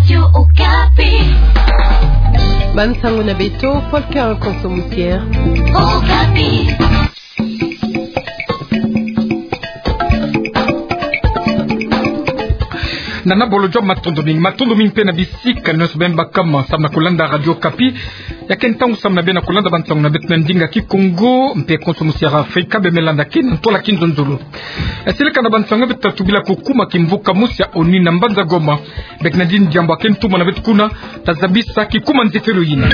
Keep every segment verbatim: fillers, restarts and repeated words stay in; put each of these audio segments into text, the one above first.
Radio Okapi. Bansango na beto, Paul Carl Konso Musier. Okapi. Nana bolo jwa matondo mingi, matondo mingi mpe na bisika nyonso beno bakama samu na kulanda Radio Okapi. Ya ke ntangu samu na beno kulanda bansango na beto na ndinga Kikongo, mpe Konso Musier Afrika, beno me landa kina ntwala kinzonzolo. E, silika na bansango beto ta tubila kukuma kimvuka mosi ya ONU na mbanza Goma. Bek na dini diambu ya ke ntumwa na beto kuna, ta zabisa kikuma nzefelo yina.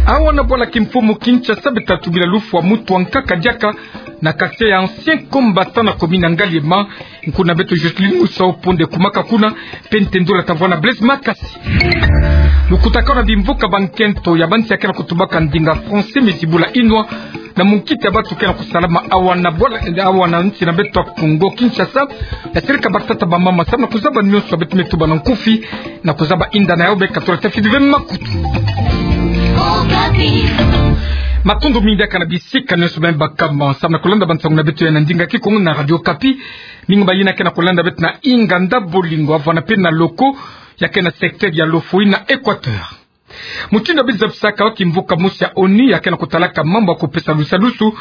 Awa na bwala kimfumu Kinshasa beto ta tubila lufwa muntu wa nkaka diaka na quartier ya ancien combattant na commune ya Ngaliema. Nkuna beto Jocelyne Musa Oponde kumaka kuna, mpe ntendula ta vwa na Blaise Makasi. Lukutakanu na bimvuka bankento ya bansi ya ke na kutubaka ndinga français me zibula inwa na munkita ya bantu ke na kusalama awa na bwala, awa na nsi na beto ya Kongo Kinshasa. Ya silika batata bamama samu na kuzaba nyonso ya beto me tuba na nkufi, na kuzaba inda na yawu, beno katula ta fidi ve makutu. Matondo mingi diaka na bisika nyonso beno bakama samu na kulanda bansango na beto ya na ndinga Kikongo na Radio Okapi. Mingi bayina ke na kulanda beto na inganda Bolingo, avwana mpe na Loko, ya ke na secteur ya Lofoï na Equateur. Mutindu ya bizabisaka kimvuka mosi ya ONU ya ke na kutalaka mambu ya kupesa lusadusu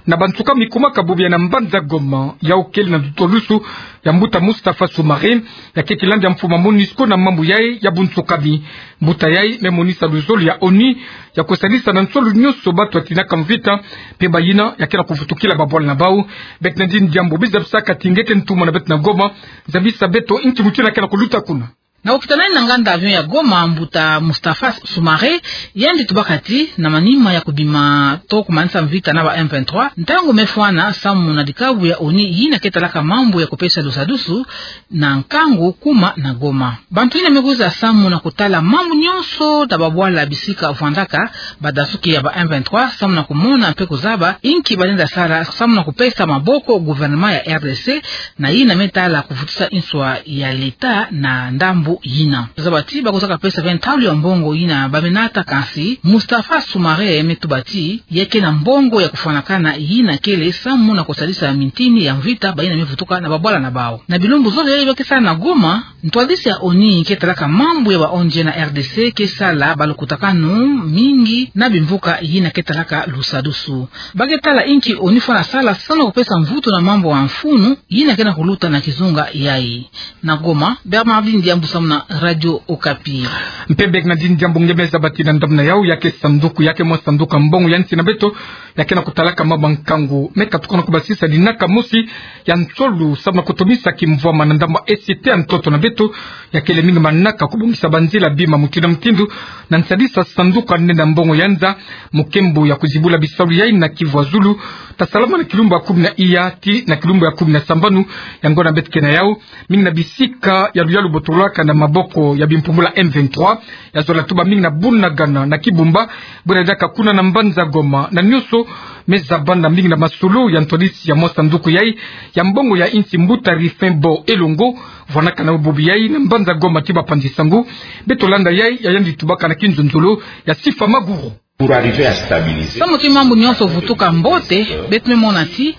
na bansuka mi kumaka bubu ya na mbanza Goma, yawu kele na ntoto lusu ya mbuta Mustapha Soumaré, ya ke kilandi ya mfumu ya MONUSCO na mambu yayi ya bunsuka mi. Mbuta yayi me monisa luzolo ya ONU ya kusadisa na nsolo nyonso bantu ya tinaka mvita, mpe bayina ya ke na kuvutukila babwala na bawu. Bek na dini diambu bizabisaka ti nge ke ntumwa na beto na Goma, zabisa beto inki mutindu ya ke na kuluta kuna. Na kukitanani na nganda avion ya Goma, mbuta Mustapha Soumaré yandi tubaka ti na manima ya kubima to kumanisa mvita na ba M vingt-trois, ntangu me fwana samu na dikabu ya ONU yina ke talaka mambu ya kupesa lusadusu na nkangu kuma na Goma. Bantu yina me kwiza samu na kutala mambu nyonso na babwala bisika vwandaka badasuki ya ba M vingt-trois samu na kumona mpe kuzaba inki balenda sala samu na kupesa maboko gouvernement ya R D C, na yina me tala kuvutisa nswa ya leta na ndambu yina. Zaba ti bakozaka pesa ve ntalu ya mbongo yina ba me nata, kansi Mustapha Soumaré me tuba ti ya ke na mbongo ya kufwanakana yina kele samu na kusadisa mintini ya mvita bayina me vutuka na babwala na bawu. Na bilumbu zole yayi ba ke sala na Goma, ntwadisi ya ONU ke talaka mambu ya ba O N G na R D C ke sala balukutakanu mingi na bimvuka yina ke talaka lusadusu. Ba ke tala inki ONU fwana sala samu na kupesa mvutu na mambu ya mfunu yina ke na kuluta na kizunga yayi. Na Goma, Bernardine Diambu samu na Radio Okapi. Mpe bek na dini diambu nge me zaba ti na ndambu na yawu, ya ke sanduku, ya ke mwa sanduku ya mbongo ya nsi na beto ya ke na kutalaka mambu ya nkangu, me katuka na kubasisa linaka mosi ya nsolo samu na kutomisa kimvwama na ndambu ya cité ya ntoto na beto, ya kele mingi manaka kubongisa banzila bima mutindu na mutindu, na nsadisa sanduku ya nene ya mbongo ya nza, mu nkembo ya kuzibula bisalu yayi na Kivu ya Zulu, ta salama na kilumbu ya kumi na iya tii na kilumbu ya kumi na sambanu. Yango na beto ke na yawu, mingi na bisika ya luyalu botolaka na maboko ya bimpumbulu ya M vingt-trois, ya zola tuba mingi na Bunagana na Kibumba, bwena diaka kuna na mbanza Goma, na nyonso me zabanda mingi na masolo ya ntwadisi ya mwa sanduku yayi ya mbongo ya nsi, mbuta Rifin Bo Elongo, vwanaka na bubu yayi na mbanza Goma tii bapanzi sango. Beto landa yayi, ya yandi tubaka na kinzonzolo ya Sifa Maguru. Pour arriver à stabiliser. Samu ti mambu nyonso vutuka mbote, beto me mona ti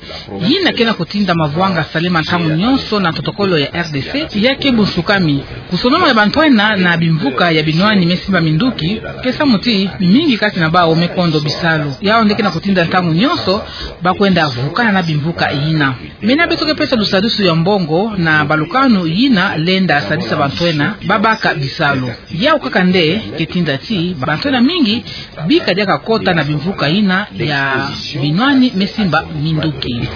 yina ke na kutinda mavwanga salema ntangu nyonso na protocole ya R D C ya ke bunsukami. Kusonama ya bantwenia na bimvuka ya binwani me simba minduki ke samu ti mingi kati na bawu me kondo bisalu. Yawu nde ke na kutinda ntangu nyonso ba kwenda vukana na bimvuka yina. Mena beto ke pesa lusadusu ya mbongo na balukanu yina lenda sadisa bantwenia ba baka bisalu. Yawu kaka nde ke tinda ti bantwenia mingi bika diaka kota na bimvuka yina ya binwani me simba minduki.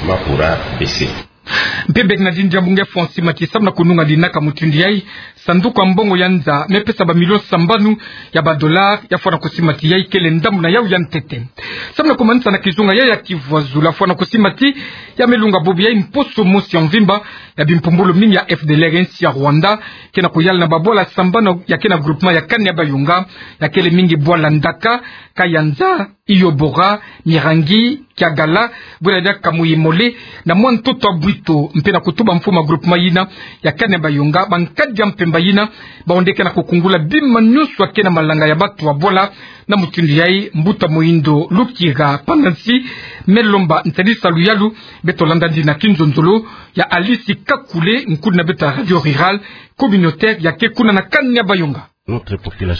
Mpe bek na dini diambu nge fwa sima ti samu na kununga linaka mutindu yayi, sanduku ya mbongo ya nza me pesa ba millions sambanu ya ba dollars, ya fwana kusima ti yayi kele ndambu na yawu ya ntete. Samu na kumanisa na kizunga yayi ya Kivu ya Zulu, ya fwana kusima ti ya me lunga bubu yayi mposo mosi ya mvimba, ya bimpumbulu mingi ya F D L R ya nsi ya Rwanda ke na kuyala na babwala sambanu ya ke na groupement ya Kani-Bayonga, ya kele mingi bwala Ndaka, Kayanza, Iyobora, Mirangi, Kiagala, bwela diaka Muyimole, na mwa ntoto wa Bwito, mpe na kutuba mfumu wa groupement yina ya Kane Bayonga, bankadi ya mpemba yina baonde ke na kukungula bima nyonso ya ke na malanga ya batu wa bwala. Na mutindu yayi, mbuta moyindo Lukira Pandansi me lomba nsadisa luyalu. Beto landa yandi na kinzonzolo ya Alice Kakule, nkulu na beto ya Radio Rurale Communautaire ya ke kuna na Kane Bayonga.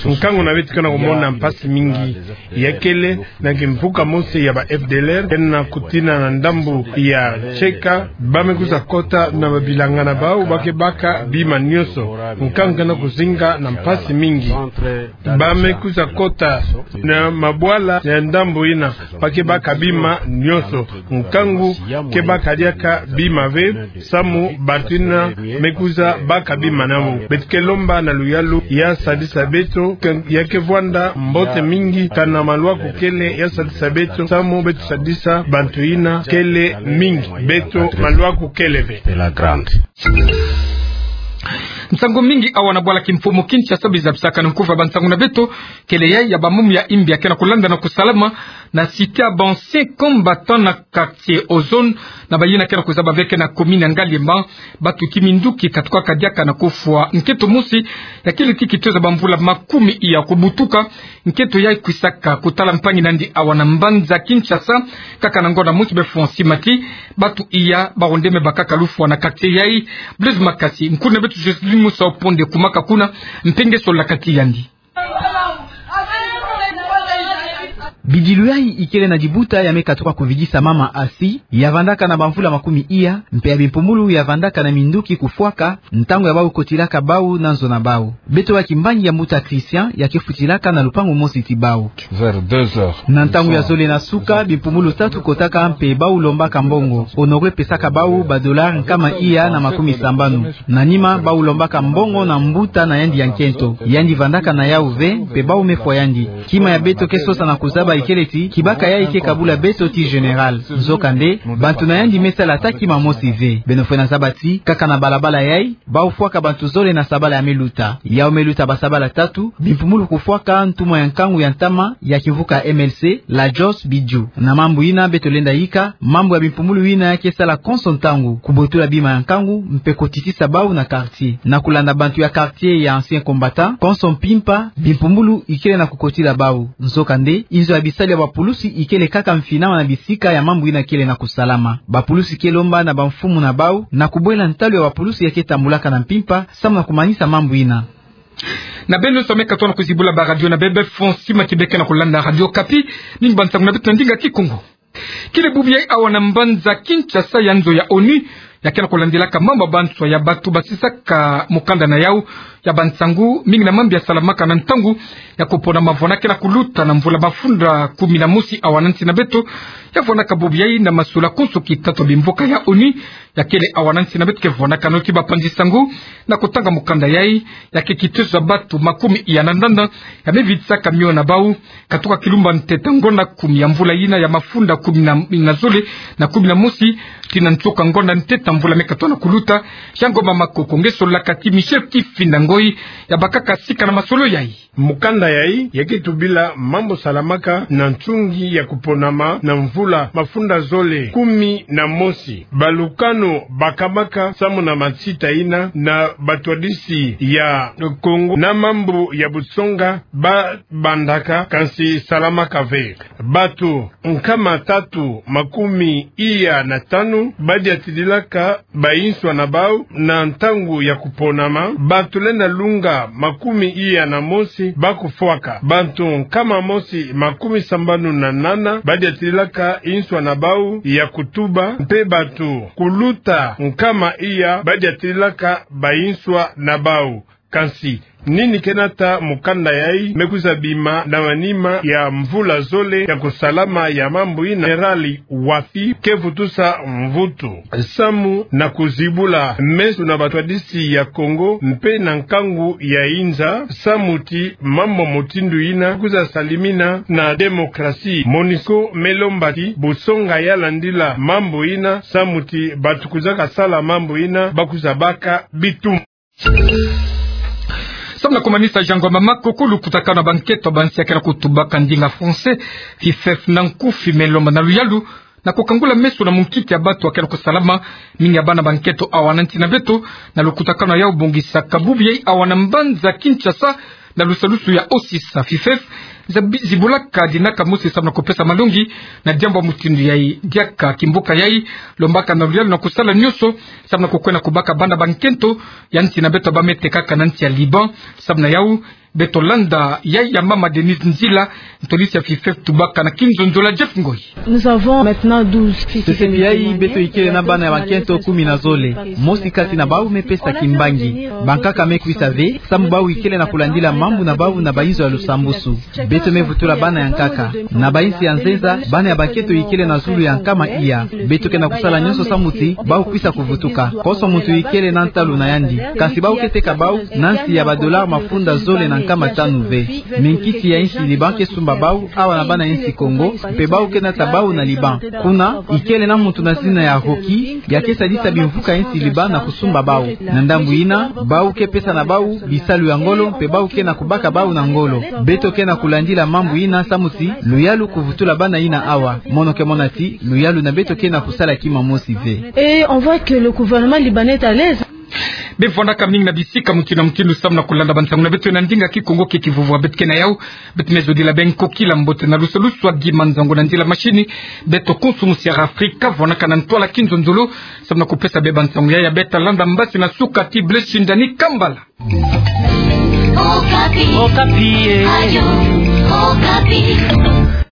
Nkangu na beto ke na kumona mpasi mingi ya kele na kimvuka mosi ya ba F D L R, ke na kutina na ndambu ya Cheka, ba me kwiza kota na babilanga na bau, ba ke baka bima nyonso. Nkangu ke na kuzinga na mpasi mingi. Ba me kwiza kota na mabwala ya ndambu yina, ba ke baka bima nyonso. Nkangu ke baka diaka bima ve, samu bantu yina me kwiza baka bima na bau. Beto ke lomba na luyalu ya sadisa beto, ke, ya ke vwanda mbote mingi, kana maluaku kele ya sadisa beto, samu beto sadisa bantu yina kele mingi, beto maluaku kele ve. Nsangu mingi awa na bwala kimfumu Kinshasa, biza bisaka na nkufa bansangu na beto, kele yayi ya bamum ya imbi ya ke na kulanda na kusalama na cité ya ba anciens combattants na quartier Ozone, na bayina ke na kuzaba ve ke na commune ya Ngaliema, batuki minduki katukaka diaka na kufwa. Nkento mosi ya kele ti kitueza bamvula makumi iya kubutuka. Nkento yayi kwisaka kutala mpangi na yandi awa na mbanza Kinshasa, kaka na ngonda mosi be fwa nsi mati, batu iya baonde me bakaka lufwa na quartier yayi. Blaise Makasi, nkulu na beto Joseline Musa Oponde kumaka kuna, mpe nge sola kati yandi. Bidilu yayi ikele na dibuta ya me katuka kuvidisa mama Asi, ya vandaka na bamvula makumi iya, mpe ya bimpumbulu ya vandaka na minduki kufwaka, ntangu ya bau kotilaka bau na nzo na bau. Beto baki mbangi ya mbuta Christian, ya ke futilaka na lupangu mosi ti bau. Vers deux heures. Na ntangu ya zole na suka, bimpumbulu tatu kotaka mpe bau lombaka mbongo. Honoré pesaka bau ba dollars nkama iya na makumi sambanu. Na nima, bau lombaka mbongo na mbuta na yandi ya nkento. Yandi vandaka na yau ve, mpe bau me fwa yandi. Kima ya beto ke sosa na kuzaba ikele ti, kibaka yayi ke kabula beto ti général. Nzokande, bantu na yandi me sala ata kima mosi ve. Beno fwena zaba ti, kaka na balabala yayi, bau fwaka bantu zole na sabala ya me luta. Yau me luta basabala tatu, bimpumbulu kufwaka ntumwa ya nkangu ya ntama ya kimvuka M L C, Lajos Bidju. Na mambu yina beto lenda yika, mambu ya bimpumbulu yina ya ke sala konso ntangu, kubotula bima ya nkangu, mpe kotitisa bau na quartier. Na kulanda bantu ya quartier ya anciens combattants, konso mpimpa, bimpumbulu ikele na kukotila bau. Nzokande, inzo ya bisalu ya bapulusi ikele kaka mfinama na bisika ya mambu yina kele na kusalama. Bapulusi ke lomba na bamfumu na bau, na kubwela ntalu ya bapulusi ya ke tambulaka na mpimpa, samu na kumanisa mambu yina. Na beno nyonso me katuka na kuzibula ba radio na bebe, fwa nsi mati beke na kulanda Radio Okapi, mingi bansangu na beto na ndinga Kikongo. Kele bubu yayi awa na mbanza Kinshasa ya nzo ya ONU, ya ke na kulandilaka mambu ya banswa ya batu basisaka mukanda na yau ya bansangu, mingi na mambu ya salamaka na ntangu ya kuponama vwanda ke na kuluta na mvula mafunda kumi na mosi awa na nsi na beto. Ya vwandaka bubu yayi na masula konso kitatu ya bimvuka ya ONU, ya kele awa na nsi na beto ke vwandaka noti bapanzi sangu na kutanga mukanda yayi, ya ke kitueza batu makumi iya na ndanda ya me vidisaka mio na bau, katuka kilumba ntete ngonda kumi ya mvula yina ya mafunda kumi na, na zole na kumi na mosi, tii na nsuka ngonda ntete mvula me katuka na kuluta. Ya Ngoma Makoko, nge sola kati Michel Kifinda Ngoi, ya bakaka sika na masolo yayi. Mukanda yayi ya ke tubila mambu salamaka na nsungi ya kuponama na mvula mafunda zole kumi na mosi. Balukanu bakamaka samu na matsita yina na batwadisi ya Kongo na mambu ya busonga ba bandaka, kansi salamaka ve. Batu nkama tatu makumi iya na tanu badiatililaka bainswa na bau na ntangu ya kuponama. Batu lenda lunga makumi iya na mosi bakufwaka. Batu nkama mosi makumi sambanu na nana badiatililaka inswa na bau ya kutuba, mpe batu kuluta nkama iya badiatililaka bainswa na bau. Kansi, nini ke nata mukanda yayi me kwiza bima na manima ya mvula zole ya kusalama ya mambu yina? Général Wafi ke vutusa mvutu samu na kuzibula meso na batwadisi ya Kongo mpe na nkangu ya inza, samu ti mambu mutindu yina kwiza salimina na démocratie. MONUSCO me lomba ti busonga ya landila mambu yina, samu ti batu kwizaka sala mambu yina bakwiza baka bitumbu. Na kumanisa jango ya mama, kuku lukutakano ya bankento ya bansi ya kena kutubaka ndinga français, FIFEF na nkufi, me lomba na luyalu na kukangula meso na munkiki ya batu ya kena kusalama, mingi ya bana bankento awa na nsi na beto, na lukutakano ya yau bongisaka bubu yai awa na mbanza Kinshasa, na lusalusu ya OSIS, FIFEF, zabi-, zibulaka dinaka mosi samu na kupesa malongi na diambu ya mutindu yai. Diaka kimbuka yai, lombaka na luyalu na kusala nyonso samu na kukwenda kubaka bana bankento ya nsi na beto ba me tekaka na nsi ya Liban. Samu na yau, beto landa yai ya mama Denise Nzila, ntolisi ya FIFEF, tubaka na kinzonzolo ya Jeff Ngoi. Nous avons maintenant douze filles. Sese ti yai, beto ikele na bana ya bankento kumi na zole. Mosi kati na bau me pesa kimbangi. Bankaka me kwisa ve, samu bau ikele na kulandila mambu na bau na bainzo ya lusambusu. Beto me vutula bana ya nkaka. Na bainsi ya nzenza, bana ya bankento ikele na zulu ya nkama iya. Beto ke na kusala nyonso samu ti bau kwisa kuvutuka. Konso muntu ikele na ntalu na yandi. Kasi bau ke teka bau na nsi ya ba dollars mafunda zole na nkama tanu ve. Minkisi ya insi Liban ke sumba bau awa na bana ya insi Congo, mpe bau ke nata bau na Liban. Kuna, ikele na muntu na zina ya Rocky, ya ke sadisa bimvuka ya insi Liban na kusumba bau. Na ndambu yina, bau ke pesa na bau bisalu ya ngolo, mpe bau ke na kubaka bau na ngolo. Beto ke na kulandila mambu yina samu ti luyalu kuvutula bana yina awa. Mono ke mona ti luyalu na beto ke na kusala kima mosi ve. Et on voit que le gouvernement libanais est à l'aise. Bevwandaka mingi na bisika mutindu na mutindu samu na kulanda bansangu na beto na ndinga Kikongo ke kivuvwa. Beto ke na yau, beto me zodila beno kokila mbote na lusalusu ya Guy Manzango na nzila machine. Beto konso musi ya Afrika, vwandaka na ntwala kinzonzolo samu na kupesa beno bansangu yai ya beto landa mbasi na suka ti Blaise Shindani Kambala. Okapi. Okapi, eh. Radio Okapi.